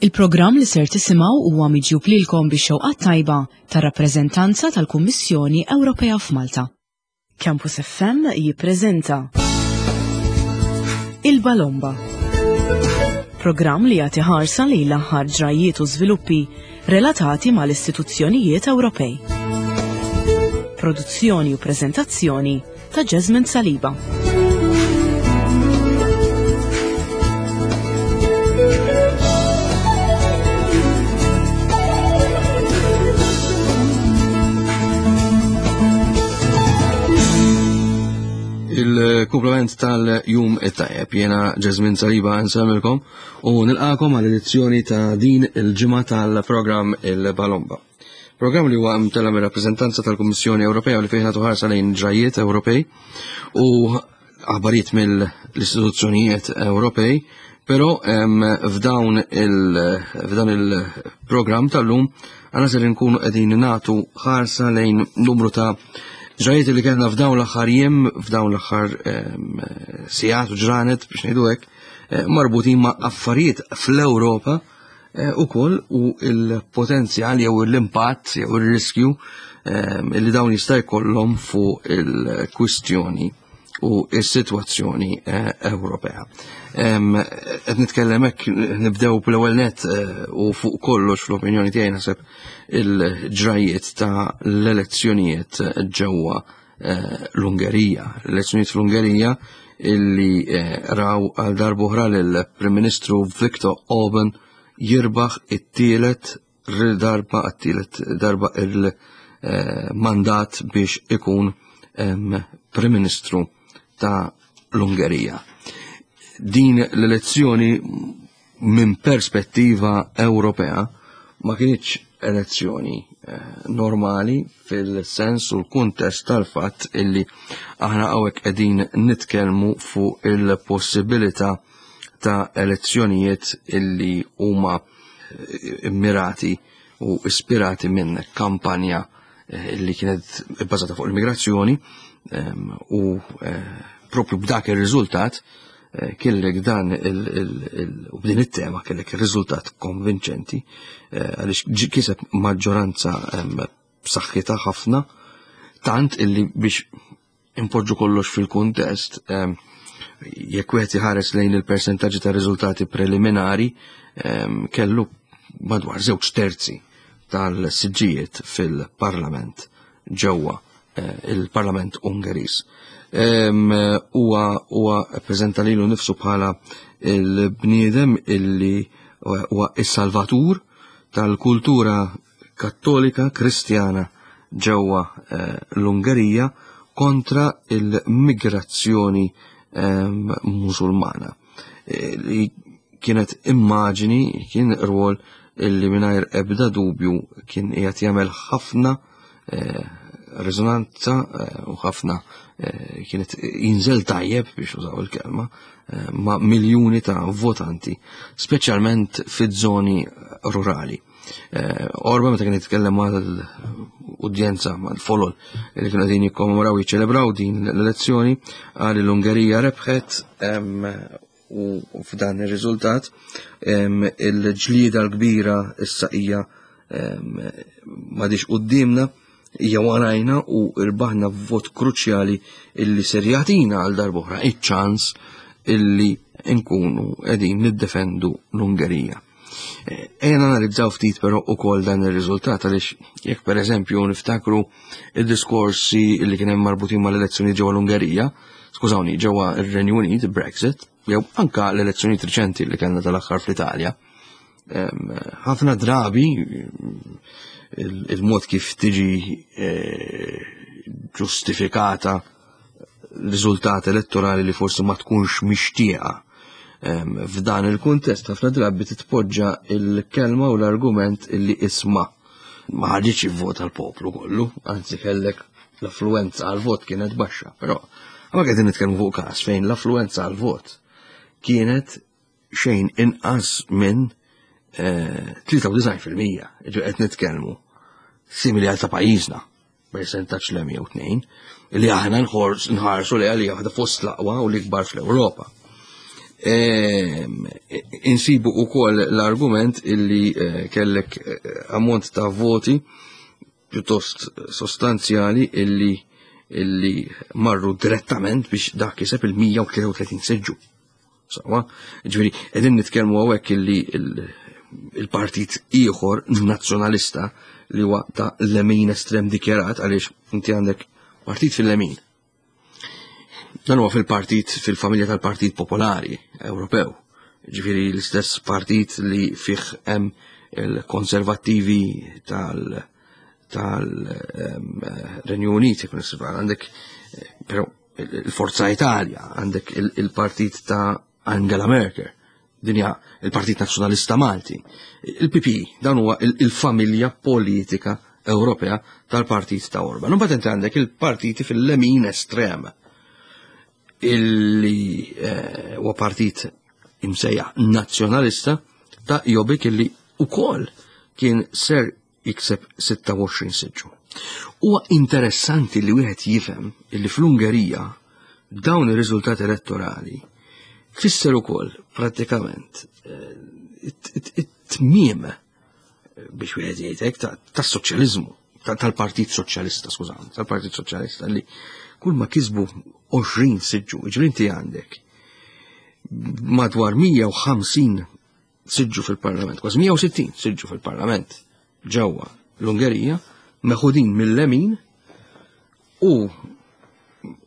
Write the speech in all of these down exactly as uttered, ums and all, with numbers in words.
Il-programm li ser tisimgħu huwa miġjub lilkom bix-xewqa tajba tar-rappreżentanza tal-Kummissjoni Ewropea f'Malta. Campus F M jippreżenta Il-Balomba. Programm li jagħti ħarsa lejn l-aħħar ġrajiet u żviluppi relatati mal-istituzzjonijiet Ewropej. Produzzjoni u preżentazzjoni ta' Jasmine Saliba. Il-kumplament tal-jum it-tajjeb, jena Jasmine Saliba nsellmilkom u nilqakom għal edizzjoni ta' din il-ġimgħa tal-programm Il-Balomba. Programm li huwa mtella mir-rappreżentanza tal-Kummissjoni Ewropea u li fejn nagħtu ħarsa lejn ġrajiet Ewropej u aħbarijiet mill-istituzzjonijiet Ewropej, però f'dawn il f'dan il-programm tal-lum għana ser nkunu qegħdin nagħtu ħarsa lejn numru ta' ġrajiet li kellna f'dawn l-aħħar jiem, f'dawn l-aħħar sigħat u ġranet biex ngħidu hekk, eh, marbutin ma' affarijiet fl-Ewropa eh, ukoll u il-potenzjal jew l-impatt jew ir-riskju li dawn jista' jkollhom fuq il-kwistjoni u s-sitwazzjoni eh, Ewropea. Qed nitkellem hekk, nibdew bl-ewwel net u fuq kollox, fl-opinjoni tiegħi naħseb, il-ġrajiet ta' l-elezzjonijiet ġewwa eh, l-Ungerija. L-elezzjonijiet fl-Ungerija illi eh, raw għal darb'oħra lill-Prim Ministru Viktor Orban jirbaħ it-tielet darba għat-tielet darba il-mandat biex ikun Prim Ministru ta' l-Ungerija. Din l-elezzjoni minn perspettiva Ewropea ma kienx elezzjoni eh, normali fil-sens u l-kuntest tal-fatt illi aħna hawnhekk qegħdin nitkellmu fuq il-possibilità ta' elezzjonijiet illi huma eh, immirati u ispirati minn kampanja eh, illi kienet bbażata fuq l-immigrazzjoni u propju b'dak ir-riżultat kellek dan u b'din it-tema kellek ir-riżultat konvinċenti għaliex kiseb maġġoranza b'saħħitha ħafna, tant illi, biex impoġġu kollox fil-kuntest, jekk wieħed iħares lejn il-persentaġġi ta' riżultati preliminari, kellu madwar żewġ terzi tal-siġġijiet fil-parlament ġewwa eh, il-Parlament Ungeriż. Huwa huwa ppreżenta lilu nnifsu bħala il-bniedem illi huwa is-salvatur tal-kultura Kattolika Kristjana ġewwa eh, l-Ungerija kontra il-migrazzjoni Musulmana. Eh, li kienet immaġini, kien rwol illi mingħajr ebda dubju kien qiegħed jagħmel ħafna eh, rezonanza u ħafna kienet jinżel tajjeb, biex użaw il-kelma, ma' miljuni ta' votanti, speċjalment fiż-żoni rurali. Orban, meta kien jitkellem mal-udjenza, mal-folol li kienu qegħdin jikkommemoraw, jiċċelebraw din l-elezzjoni, qal l-Ungerija rebħet u f'dan ir-riżultat il-ġlieda l-kbira issa hija m'għadix quddiemna, hija warajna u irbaħna vot kruċjali illi ser jagħtina għal darb'oħra iċ-ċans illi nkunu qegħdin niddefendu l-Ungerija. Ejja analizzaw ftit però ukoll dan ir-riżultat, għaliex jekk pereżempju niftakru id-diskorsi li kien hemm marbutin mal-elezzjoni ġewwa l-Ungerija, skużawni, ġewwa ir-Renju Unit, Brexit, jew anka l-elezzjonijiet riċenti li kellna tal-aħħar fl-Italja. Ħafna drabi il-mod kif tiġi eh, ġustifikata riżultat elettorali li forsi ma tkunx mixtieqa, f'dan il-kuntest ħafna drabi titpoġġa il-kelma u l-argument illi isma' ma ħaġiċ jivvota l-poplu kollu, anzi kellek l-affluenza għal-vot kienet baxxa, però ma qegħdin nitkellmu fuq każ fejn l-affluenza għal-vot kienet xejn inqas minn tlieta u disgħin fil-mija, ġu qed nitkellmu simili għal ta' pajjiżna, percentaġġ l jew tnejn, li aħna nħarsu li għalija waħda fost l-aqwa u l-ikbar fl-Ewropa. Ehm, insibu ukoll l-argument illi eh, kellek eh, ammont ta' voti pjuttost sostanzjali illi illi marru direttament biex dak kiseb il-mija u tlieta u tletin siġġu. Sawa, ġifieri qegħdin nitkellmu hawnhekk illi il-partit ieħor nazzjonalista li huwa ta' lemin estrem dikjarat, għaliex inti għandek partit fil-lemin. Dan huwa fil-partit, fil-familja tal-Partit Popolari Ewropew. Ġifieri l-istess partit li fih hemm il-konservattivi tal-, tal-Renju Unit, jekk nisba', għandek, eh, però il-Forza Italia, għandek il-partit ta' Angela Merkel, dinja il-Partit Nazzjonalista Malti, il-P P, dan huwa il-familja politika Ewropea tal-partit ta' Orban. Imbagħad inti għandek il-partiti fil-lemin estrem, illi, eh, huwa partit imsejjaħ nazzjonalista ta' Jobbik, illi ukoll kien ser jikseb sitta u għoxrin siġġu. Huwa interessanti li wieħed jifhem illi fl-Ungerija dawn ir-riżultati elettorali fisser ukoll prattikament, eh, it-tmiem, biex wieħed jgħid hekk, ta-, tas-soċjaliżmu, ta-, tal-Partit Soċjalista, skużawni, tal-Partit Soċjalista li kull ma kisbu għoxrin siġġu, jiġifieri inti għandek madwar mija u ħamsin siġġu fil-Parlament, kważi mija u sittin siġġu fil-Parlament ġewwa l-Ungerija, meħudin mill-lemin u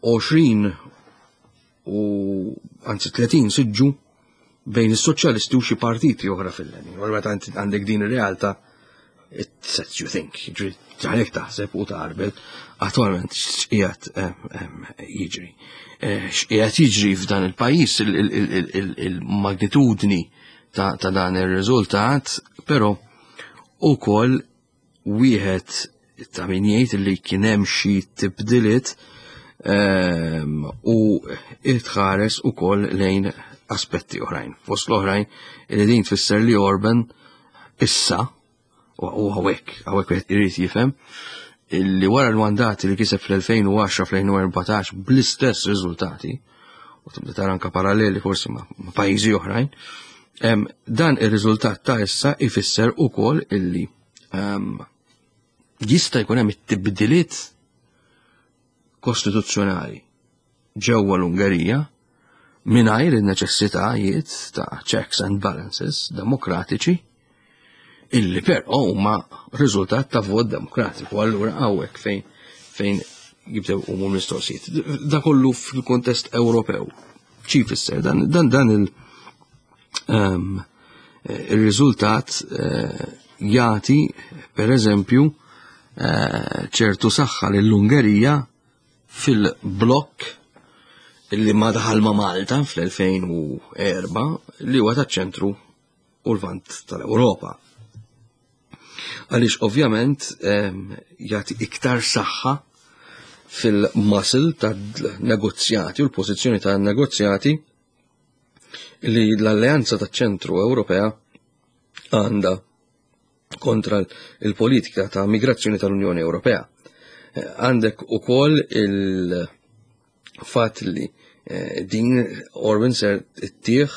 għoxrin u anzi tletin siġġu bejn is-soċjalisti u xi partiti oħra fil-lemin. U meta inti għandek din ir-realtà, it sets you think, ġifieri għalhekk taħseb u taqbel attualment x'qiegħed, em, em, jiġri. Eh, x'qiegħed jiġri f'dan il-pajjiż, il-, il-, il-, il-, il-magnitudni ta', ta' dan ir-riżultat, però ukoll wieħed ta' min jgħid li kien hemm xi tibdiliet, ehm, u tħares ukoll lejn aspetti oħrajn. Fost l-oħrajn li din tfisser li Orban issa, u hawnhekk, hawnhekk wieħed irid jifhem, illi wara l-mandati li kiseb fl-elfejn u għaxra, fl-elfejn u erbatax bl-istess riżultati, u tibda tara anka paralleli forsi ma', ma' pajjiżi oħrajn, em, dan ir-riżultat ta' issa ifisser ukoll illi, em, jista' jkun hemm it-tibdiliet kostituzzjonali ġewwa l-Ungerija mingħajr in-neċessitajiet ta' checks and balances demokratiċi illi però huma riżultat ta' vot demokratiku. Allura hawnhekk fejn, fejn jibdew huma l-mistoqsijiet. Da kollu fil-kontest Ewropew. Xi jfisser dan, dan, dan il-, ehm, il-riżultat, eh, jagħti per eżempju, eh, ċertu saħħa lill-Ungerija fil-blokk illi ma daħal ma' Malta fl-elfejn u erba' li huwa taċ-ċentru u l-vant tal-Ewropa. Għaliex ovvjament, ehm, jagħti iktar saħħa fil-muscle tad-negozjati u l-pożizzjoni tan-negozjati li l-Alleanza taċ-Ċentru Ewropea għandha kontra il-politika ta' migrazzjoni tal-Unjoni Ewropea. Eh, għandek ukoll il-fatt li, eh, din Orban ser ittieħ,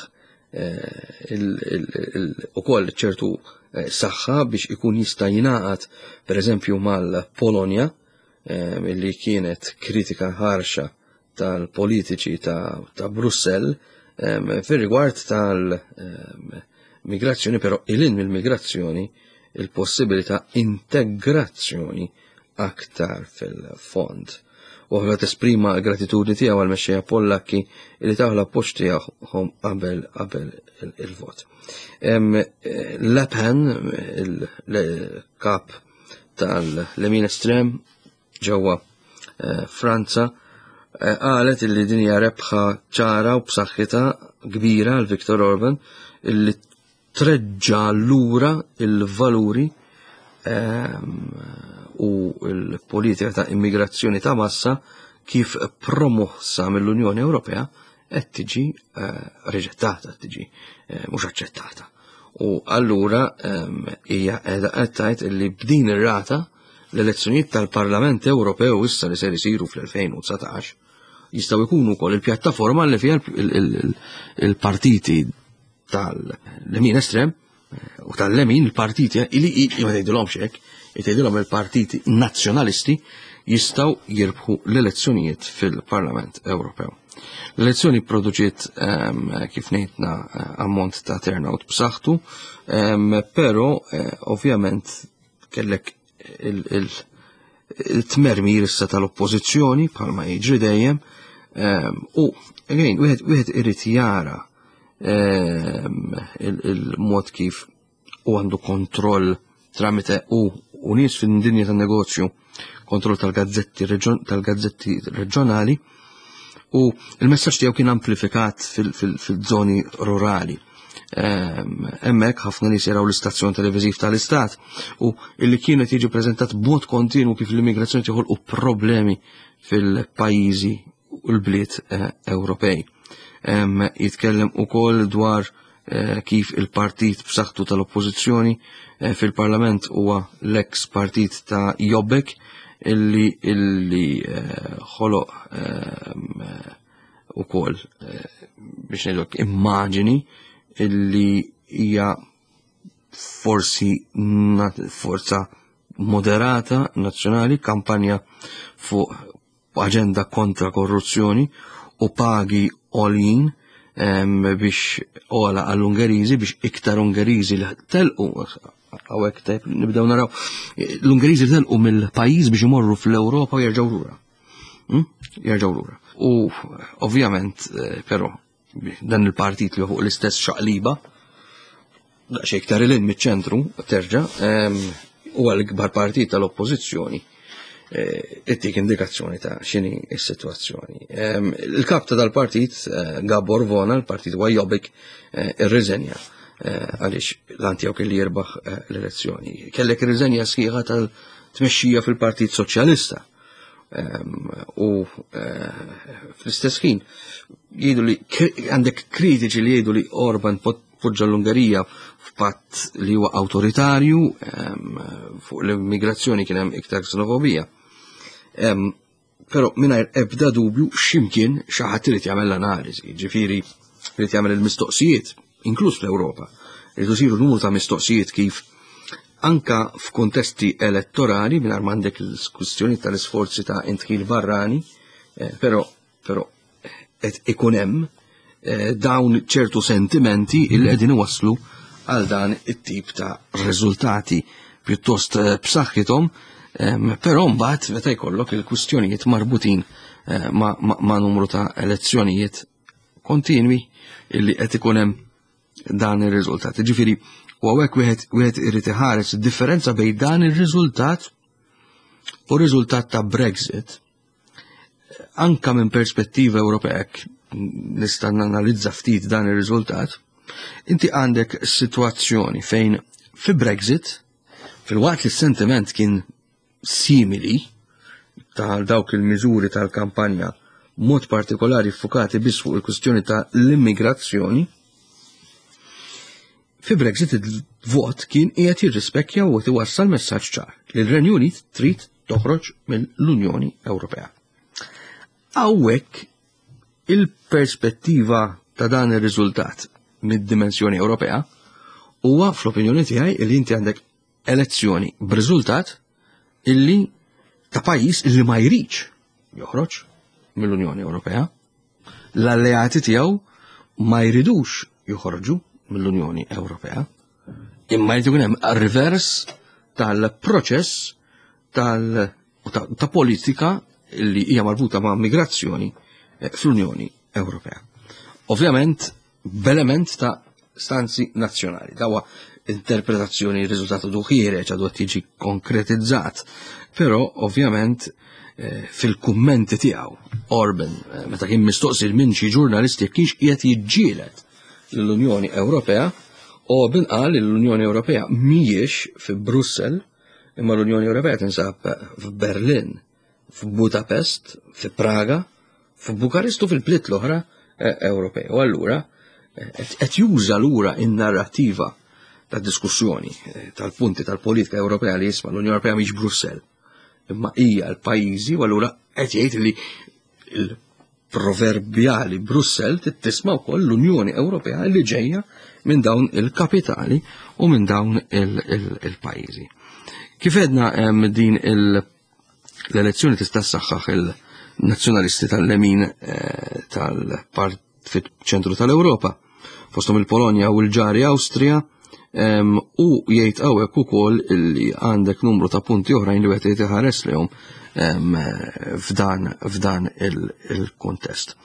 eh, il-, il-, il-, ukoll ċertu, eh, saħħa biex ikun jista' jingħaqad per eżempju mal-Polonja, eh, li kienet kritika ħarxa tal-politiċi ta', ta' Brussell, ehm, fir-rigward tal-migrazzjoni, però ilin mill-migrazzjoni il-possibilità integrazzjoni aktar fil-fond. U għavla tesprima l-gratitudni tiegħu għal-mexxejja Pollakki li taw l-appoġġ tiegħhom qabel, qabel il-, il-vot. Em, Le Pen, il-kap tal-lemin estrem ġewwa, eh, Franza, eh, qalet illi din hija rebħa ċara u b'saħħitha kbira għal Viktor Orban illi treġġa lura il-valuri, ehm, u l-politika ta' immigrazzjoni ta' massa kif promossa mill-Unjoni Ewropea qed tiġi, eh, riġettata, qed tiġi, eh, mhux aċċettata. U allura, ehm, hija qiegħda qed tgħid illi b'din ir-rata l-elezzjonijiet tal-Parlament Ewropew issa li ser isiru fl-elfejn u dsatax jistgħu jkunu wkoll il-pjattaforma li fiha il-partiti tal-lemin estrem u tal-lemin, il-partiti li ma tgħidilhomx hekk, jgħidilhom il-partiti nazzjonalisti, jistgħu jirbħu l-elezzjonijiet fil-Parlament Ewropew. L-elezzjoni produċiet, kif ngħidna, ammont ta' turnout b'saħħtu, però eh, ovvjament kellek il-tmermir issa tal-oppożizzjoni bħalma jiġri dejjem u again wieħed irid jara il-mod kif u għandu kontroll tramite u u nies fin-dinja tan-negozju, kontroll tal-gazzetti tal-gazzetti reġjonali, u il-messaġġ tiegħu kien amplifikat fil-żoni rurali. Hemmhekk ħafna nies jaraw l-istazzjon televiżiv tal-Istat u illi kienet jiġi preżentat b'mod kontinu kif l-immigrazzjoni u problemi fil-pajjiżi u l-bliet eh, Ewropej. Jitkellem ukoll dwar eh, kif il-partit b'saħħtu tal-oppożizzjoni eh, fil-parlament huwa l-ex partit ta' Jobbik illi illi ħoloq ukoll, biex ngħidlek, immaġini illi hija forsi forza moderata nazzjonali, kampanja fuq aġenda kontra korruzzjoni u pagi għoljin biex ola għall-Ungeriżi, biex iktar Ungeriżi li telqu hawnhekk, tajb nibdew naraw l-Ungeriżi li telqu mill-pajjiż biex imorru fl-Ewropa u jerġgħu lura. Hmm? Jerġgħu lura. U ovvjament, eh, però dan il-partit li fuq l-istess xaqliba, daqsxejn iktar il miċ-ċentru terġa', huwa l-ikbar partit tal-oppożizzjoni, eh, ittik indikazzjoni ta' x'inhi s-sitwazzjoni. Il-kap ta' dal-partit, eh, Gabor Vona, l-partit huwa Jobbik, eh, irriżenja għaliex l-għan tiegħu kelli jirbaħ l-elezzjoni. Kellek irriżenja sħiħa tal-tmexxija fil-Partit Soċjalista. U fl-istess ħin jgħidu li għandek kritiċi li jgħidu li Orban poġġa l-Ungerija f'patt li huwa awtoritarju, fuq l-immigrazzjoni kien hemm iktar xenofobija. Però mingħajr ebda dubju x'imkien xi ħadd irid jagħmel l-analiżi, ġifieri irid jagħmel il-mistoqsijiet, inkluż fl-Ewropa. Irid isiru numru ta' mistoqsijiet kif anka f'kontesti elettorali mingħajr m'għandek il-kwistjoni tal-isforzi ta' indħil barrani, eh, però però qed ikun hemm eh, dawn ċertu sentimenti il qegħdin iwasslu għal dan it-tip ta' riżultati pjuttost eh, b'saħħithom, però mbagħad meta jkollok il-kwistjonijiet marbutin ma', ma, ma numru ta' elezzjonijiet kontinwi illi qed ikun hemm dan ir-riżultat. Ġifieri, u hawnhekk wieħed wieħed irid iħares id-differenza bejn dan ir-riżultat u r-riżultat ta' Brexit. Anka minn perspettiva Ewropea nista' nanalizza ftit dan ir-riżultat. Inti għandek situazzjoni fejn fi Brexit, fil-waqt li s-sentiment kien simili tal dawk il-miżuri tal-kampanja, mod partikolari fukati biss fuq il-kwistjoni ta' l-immigrazzjoni, fi Brexit il-vot kien qiegħed jirrispekkja u iwassal messaġġ ċar li l-Renju Unit trid toħroġ mill-Unjoni Ewropea. Hawnhekk il-perspettiva ta' dan ir-riżultat mid-dimensjoni Ewropea huwa, fl-opinjoni tiegħi, li inti għandek elezzjoni b'riżultat illi ta' pajjiż illi ma jridx joħroġ mill-Unjoni Ewropea. L-alleati tiegħu ma jridux joħorġu mill-Unjoni Ewropea. Imma jrid ikun hemm reverse tal-proċess tal ta', ta politika li hija marbuta ma' migrazzjoni eh, fl-Unjoni Ewropea. Ovvjament, b'element ta' stanzi nazzjonali. Dawa interpretazzjoni, riżultatu duħire għadu tiġi konkretizzat, però ovvjament eh, fil-kummenti tiegħu Orban, eh, meta kien mistoqsi minn xi ġurnalisti jekk kienx qiegħed jiġġieled l-Unjoni Ewropea, Orban qal li l-Unjoni Ewropea mhijiex fi Brussell, imma l-Unjoni Ewropea tinsab f'Berlin, f'Budapest, fi Praga, f'Bukarest u fil-bliet l-oħra eh, Ewropej. U allura qed juża lura in-narrativa ta' diskussjoni eh, tal-punti tal-politika Ewropea li jisma' l-Unjoni Ewropea mhix Brussell, imma hija l-pajjiżi, u allura qed jgħid li proverbjali Brussell tisma' wkoll l-Unjoni Ewropea li ġejja minn dawn il-kapitali u minn dawn il-pajjiżi. Kif edna din l-elezzjoni tista' ssaħħaħ il-nazzjonalisti tal-lemin tal-part fit-ċentru tal-Ewropa, fosthom il-Polonja u l-ġari Awstrija, u jgħid hawnhekk ukoll illi għandek numru ta' punti oħrajn li wieħed irid iħares lehom f'dan f'dan il-kuntest.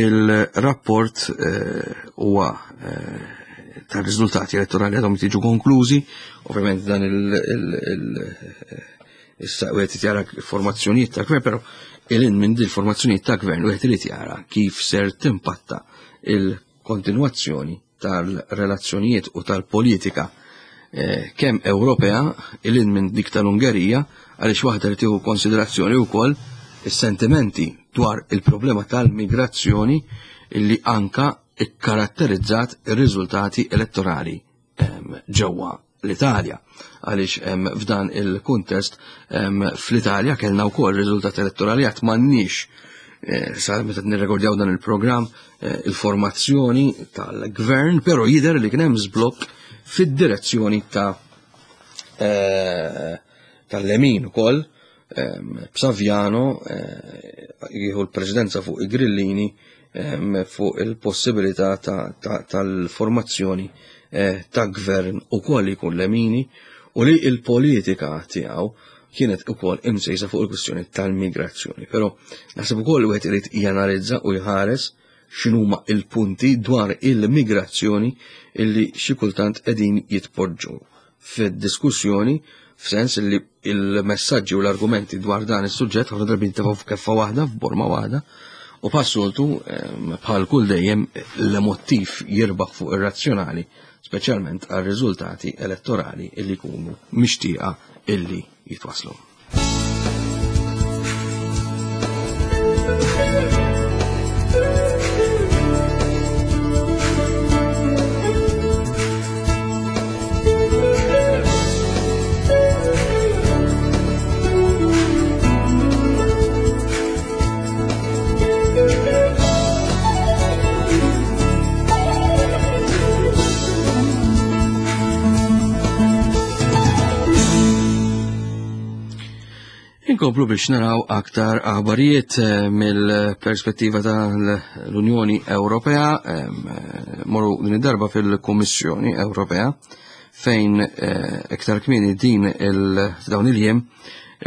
Il-rapport huwa tar-riżultati elettorali għadhom jiġu konklużi, ovvjament dan il- issa wieħed jara formazzjonijiet ta' gvern, però ilin minn din formazzjonijiet ta' gvern wieħed irid jara kif ser timpatta il-kontinwazzjoni tal-relazzjonijiet u tal-politika eh, kemm Ewropea ilin minn dik tal-Ungerija, għaliex waħda li tieħu konsiderazzjoni wkoll is-sentimenti dwar il-problema tal-migrazzjoni illi anka ikkaratterizzat ir-riżultati elettorali ġewwa l-Italja. Għaliex f'dan il-kuntest fl-Italja kellna wkoll riżultati elettorali għad m'għandniex sa meta nirrekordjaw dan il-programm il-formazzjoni tal-gvern, però jidher li kien hemm żblokk fid-direzzjoni ta' tal-lemin ukoll, b'Saviano jieħu l-presidenza fuq i-Grillini fuq il-possibilità tal-formazzjoni ta' gvern ukoll jkun lemini u li il-politika tiegħu kienet ukoll imsejsa fuq il-kwistjoni tal-migrazzjoni. Però naħseb ukoll wieħed irid janalizza u jħares x'inhuma il-punti dwar il-migrazzjoni illi xi kultant qegħdin jitpoġġu fid-diskussjoni, f'sens li il-messaġġi u l-argumenti dwar dan is-suġġett ħafna drabi jintefgħu f'keffa waħda, f'borma waħda, u passoltu bħal kull dejjem l-emottiv jirbaħ fuq ir-razzjonali, speċjalment għal riżultati elettorali illi jkunu mixtieqa illi jitwaslu. Inkomplu biex naraw aktar aħbarijiet mill-perspettiva tal-Unjoni Ewropea, morru din id-darba fil-Kummissjoni Ewropea, fejn iktar kmieni din il-dawn il-jiem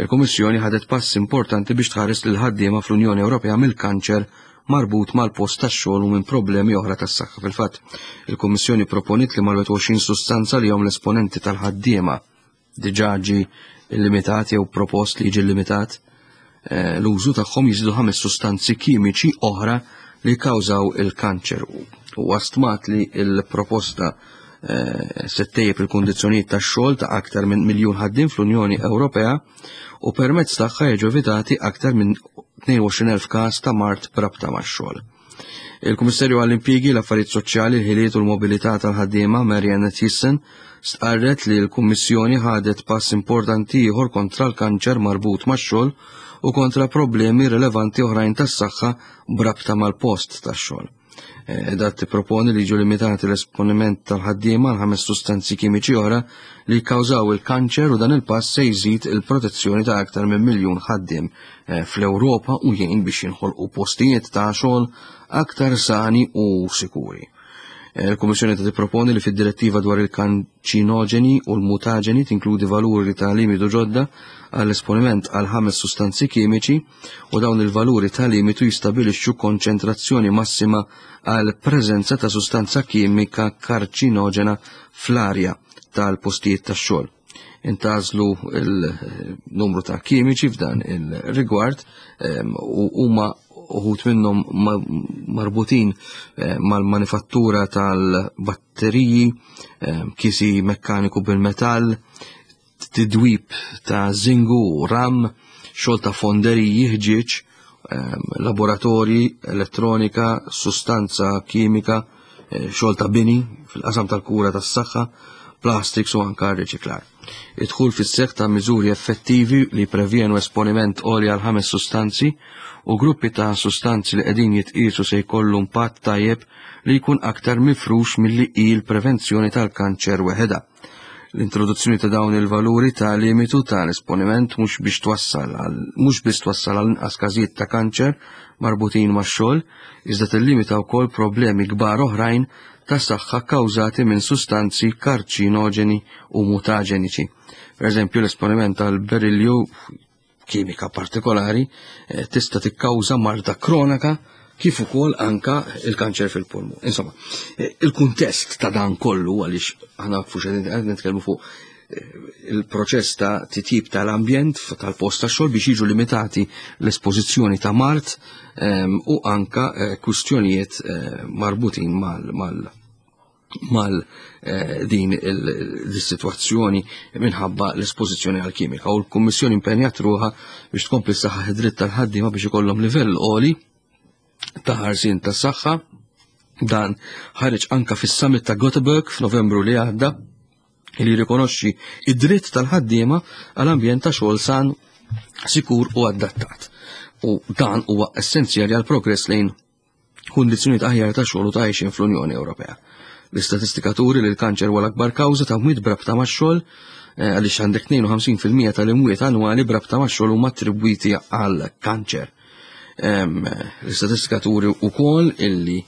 il-Kummissjoni ħadet pass importanti biex tħares lil ħaddiema fl-Unjoni Ewropea mill-kanċer marbut mal-post tax-xogħol u minn problemi oħra tas-saħħa. Fil-fatt, il-Kummissjoni proponiet li mal-wieħed u għoxrin sustanza li hom l-esponenti tal-ħaddiema diġà ġie limitat jew propost li jiġi limitat l-użu tagħhom jiżidu ħames sustanzi kimiċi oħra li kkawżaw il-kanċer. U stmat li l-proposta se ttejjeb il-kundizzjonijiet tax-xogħol ta' aktar minn miljun ħaddiem fl-Unjoni Ewropea u permezz tagħha jiġu evitati aktar minn tnejn u għoxrin elf każ ta' mard b'rabta max-xogħol. Il-Kummissarju għall-Impjiegi, l-Affarijiet Soċjali, il-Ħiliet u l-Mobilità tal-Ħaddiema, Marianne Thyssen, stqarret li l-Kummissjoni ħadet pass importanti ieħor kontra l-kanċer marbut max-xogħol u kontra problemi rilevanti oħrajn tas-saħħa b'rabta mal-post tax-xogħol. Qiegħda tipproponi li jiġu limitati l-esponiment tal-ħaddiema għal ħames sustanzi kimiċi oħra li jikkawżaw il-kanċer u dan il-pass se jżid il-protezzjoni ta' aktar minn miljun ħaddiem fl-Ewropa u jgħin biex jinħolqu postijiet ta' xogħol aktar sani u sikuri. Il-Kummissjoni ta' tipproponi li fid-direttiva dwar il-kanċinoġeni u l-mutaġeni tinkludi valuri ta' limitu ġodda għall-esponiment għal ħames sustanzi kimiċi u dawn il-valuri ta' limitu jistabilixxu konċentrazzjoni massima għal preżenza ta' sustanza kimika karċinoġena fl-arja tal-postijiet tax-xogħol. Intażlu il-numru ta' kimiċi f'dan il-rigward u huma uħut minnhom marbutin mal-manifattura tal-batteriji, kisi mekkaniku bil-metall, tidwib ta' zingu u ram, xogħol ta' fonderiji, ħġieġ, laboratorji, elettronika, sustanza kimika, xogħol ta' bini fil-qasam tal-kura tas-saħħa, plastics u anka riċiklar. Idħul fis-seħħ ta' miżuri effettivi li prevjenu esponiment għoli għal ħames sustanzi u gruppi ta' sustanzi li qegħdin jitqisu se jkollu impatt tajjeb li jkun aktar mifrux milli hi l-prevenzjoni tal-kanċer weħeda. L-introduzzjoni ta' dawn il-valuri ta' limitu ta' esponiment mhux biex twassal għal mhux biss twassal għal inqas każijiet ta' kanċer marbutin max-xogħol, iżda tillimita wkoll problemi kbar oħrajn ta' saħħa kkawżati minn sustanzi karċinoġeni u mutaġeniċi. Per eżempju, l-esponiment għal berilju, kimika partikolari, eh, tista' tikkawża marda kronaka kif ukoll anka il-kanċer fil-pulmu. Insomma, eh, il-kuntest ta' dan kollu, għaliex aħna fuq qed nitkellmu fuq eh, il-proċess ta' titjib tal-ambjent tal-post ta' xogħol biex jiġu limitati l-espożizzjoni ta' mart ehm, u anka eh, kwistjonijiet marbutin mal mal mal din il-situazzjoni minħabba l-espożizzjoni għal-kimika. U l-Kummissjoni impenjat ruħha biex tkompli saħħa id-dritt tal-ħaddiema biex ikollhom livell għoli ta' ħarsien ta' saħħa. Dan ħareġ anka fis-summit ta' Göteborg f'Novembru li għadda, li jirrikonoxxi id-dritt tal-ħaddiema għal ambjent ta' xogħol san, sikur u adattat. U dan huwa essenzjali għal progress lejn kundizzjonijiet aħjar ta' xogħol u ta' għajxien fl-Unjoni Ewropea. L-istatistika turi li l-kanċer huwa l-akbar kawża ta' mwiet brabta max-xogħol, eh, għaliex għandek tnejn u ħamsin fil-mija tal-imwiet annwali brabta max-xogħol huma attribwiti għal kanċer. L-istatistika turi wkoll illi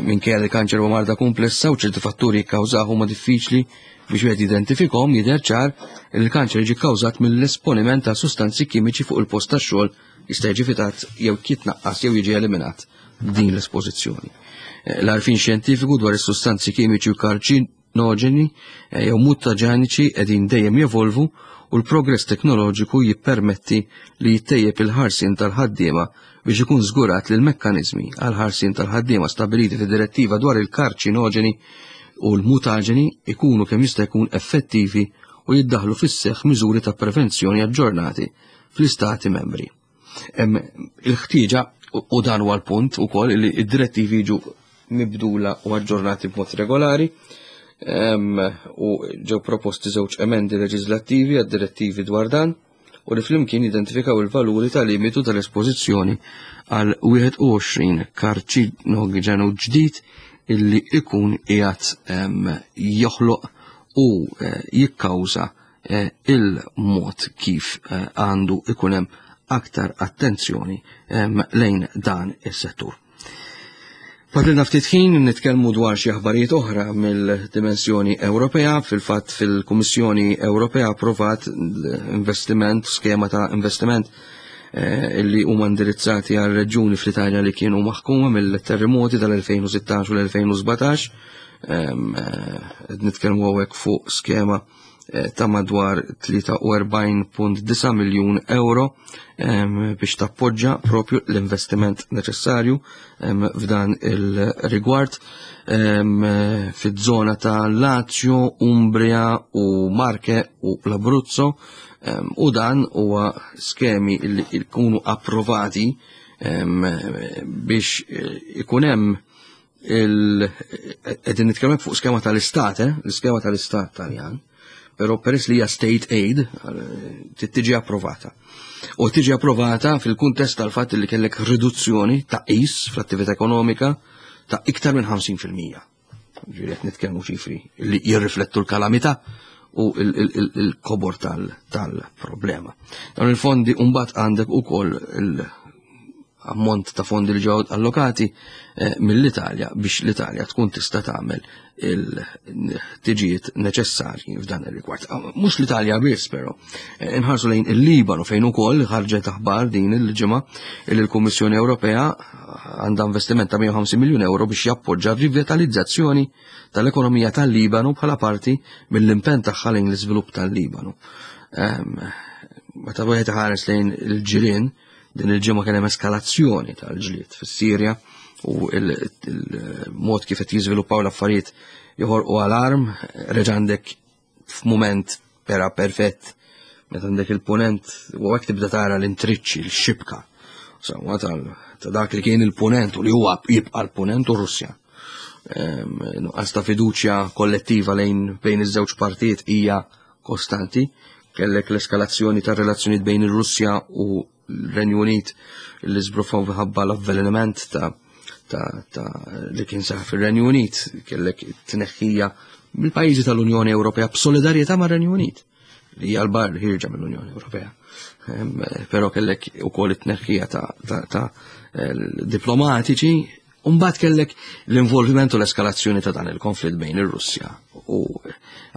minkejja li kanċer huwa marda komplessa u ċerti fatturi jikkawżaw huma diffiċli biex wieħed jidentifikhom, jidher ċar li l-kanċer jiġi kkawżat mill-esponiment ta' sustanzi kimiċi fuq il-post tax-xogħol jista' jiġi evitat jew jitnaqqas jew jiġi eliminat din l-espożizzjoni. Eh, L-għarfien xjentifiku dwar is-sustanzi kimiċi u karċinoġeni eh, jew mutaġeniċi qegħdin dejjem jevolvu u l-progress teknoloġiku jippermetti li jittejjeb il-ħarsien tal-ħaddiema biex ikun żgurat li l-mekkaniżmi għal ħarsien tal-ħaddiema stabiliti fid-direttiva dwar il-karċinoġeni u l-mutaġeni ikunu kemm jista' jkun effettivi u jiddaħlu fis-seħħ miżuri ta' prevenzjoni aġġornati fl-istati membri. Il-ħtieġa, u dan huwa l-punt ukoll, li id-direttivi jiġu mibdula u aġġornati b'mod regolari u ġew proposti żewġ emendi leġislattivi għad-direttivi dwar dan u li flimkien identifikaw il-valuri tal-limitu tal-espożizzjoni għal wieħed u għoxrin karċinoġenu ġdid illi ikun qiegħed joħloq u eh, jikkawża eh, il-mod kif eh, għandu ikun hemm aktar attenzjoni lejn dan is-settur. Fadlilna ftit ħin nitkellmu dwar xi aħbarijiet oħra mill-dimensjoni Ewropea. Fil-fatt, fil-Kummissjoni Ewropea approvat investiment, skema ta' investiment eh, illi huma indirizzati għal reġjuni fl-Italja li kienu maħkuma mill-terremoti tal-elfejn u sittax u l-elfejn u sbatax. Eh, nitkellmu hawnhekk fuq skema eh, ta' madwar tlieta u erbgħin punt disgħa miljun euro biex tappoġġa propju l-investiment neċessarju f'dan il-rigward fiż-żona ta' Lazio, Umbria u Marche u l-Abruzzo, u dan huwa skemi li jkunu approvati biex eh, ikun hemm il qegħdin nitkellmu fuq skema tal-istat, eh? L-iskema tal-istat Taljan, però peress li hija state aid tiġi approvata. U tiġi approvata fil-kuntest tal-fatt li kellek riduzzjoni ta' is fl-attività ekonomika ta' iktar minn ħamsin fil-mija. Ġifieri qed nitkellmu ċifri li jirriflettu l-kalamità u il-kobor tal-problema. Dawn il-fondi, mbagħad għandek ukoll ammont ta' fondi li ġew allokati eh, mill-Italja biex l-Italja tkun tista' tagħmel il-ħtiġijiet neċessarji f'dan ir-rigward. Ah, mhux l-Italja biss però, eh, inħarsu lejn il-Libanu, fejn ukoll ħarġet aħbar din il-ġimgħa li l-Kummissjoni Ewropea għandha investiment ta' mija u ħamsin miljun euro biex jappoġġa rivitalizzazzjoni tal-ekonomija tal-Libanu bħala parti mill-impenn tagħha lejn l-iżvilupp tal-Libanu. Ehm, meta wieħed ħares lejn il-ġirien, din il-ġimgħa kien hemm eskalazzjoni tal-ġlied fis-Sirja u il-mod kif qed jiżviluppaw l-affarijiet joħorqu alarm. Reġa' għandek f'mument pera perfett meta għandek il-punent u hekk tibda tara l-intriċċi, l-xibka. Insomma, ta' dak li kien il-punent u li huwa jibqa' l-punent u Russja. Nuqqas ta' fiduċja kollettiva lejn bejn iż-żewġ partijiet hija kostanti. Kellek l-eskalazzjoni ta' relazzjonijiet bejn ir-Russja u l-Renju Unit li żbruffaw minħabba l-avvelenament ta' ta' ta' li kien seħħ fir-Renju Unit, kellek tneħħija mill-pajjiżi tal-Unjoni Ewropea b'solidarjetà mar-Renju Unit li hija l-bar ħierġa mill-Unjoni Ewropea. Però kellek ukoll it-tneħħija ta', ta, ta diplomatiċi. Umbagħad kellek l-involviment u l-eskalazzjoni ta' dan il-konflitt bejn ir-Russja u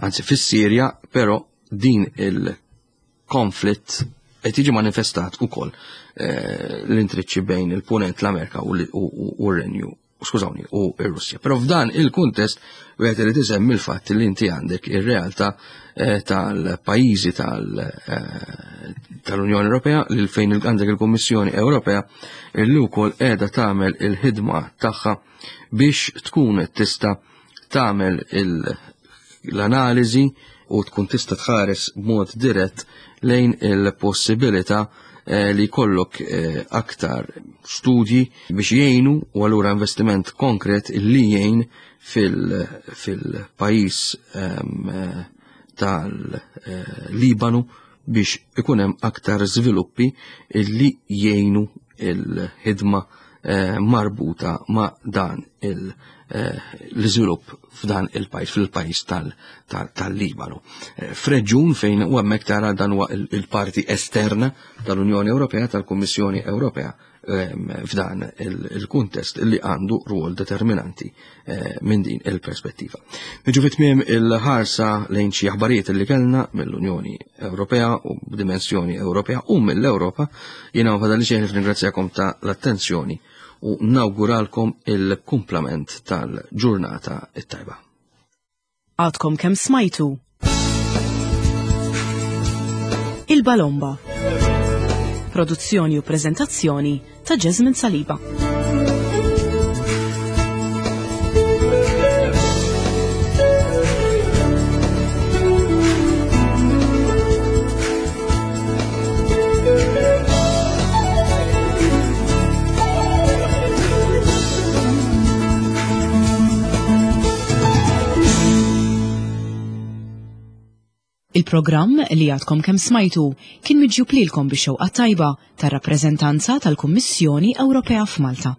anzi fis-Sirja, però din il-konflitt qed jiġi manifestat ukoll eh, l-intriċċi bejn il-Punent, l-Amerika u r-Renju, skużawni, u r-Russja. Però f'dan il-kuntest wieħed irid isemmi l-fatt li inti għandek ir-realtà eh, tal-pajjiżi eh, tal-Unjoni Ewropea li fejn għandek il-Kummissjoni Ewropea li wkoll qiegħda tagħmel il-ħidma tagħha biex tkun tista' tagħmel l-analiżi u tkun tista' tħares b'mod dirett lejn il-possibilità eh, li jkollok eh, aktar studji biex jgħinu u allura investiment konkret li jgħin fil-pajjiż ehm, eh, tal-Libanu biex ikun hemm aktar żviluppi li jgħinu il-ħidma marbuta ma' dan l-iżvilupp f'dan il-pajjiż, fil-pajjiż tal-Libanu. F'reġjun fejn u hemmhekk tara dan huwa il-parti esterna tal-Unjoni Ewropea, tal-Kummissjoni Ewropea f'dan il-kuntest li għandu rwol determinanti minn din il-perspettiva. Niġu fi tmiem il-ħarsa lejn xi aħbarijiet li kellna mill-Unjoni Ewropea u b'dimensjoni Ewropea u mill-Ewropa. Jiena ma fadalli xejn ringrazzjakom ta' l-attenzjoni u nawguralkom il-kumplament tal-ġurnata it-tajba. Għadkom kemm smajtu Il-Balomba. Produzzjoni u prezentazzjoni ta' Jasmine Saliba. Il-programm li għadkom kemm smajtu kien miġjub lilkom bix-xewqa tajba tar-rappreżentanza tal-Kummissjoni Ewropea f'Malta.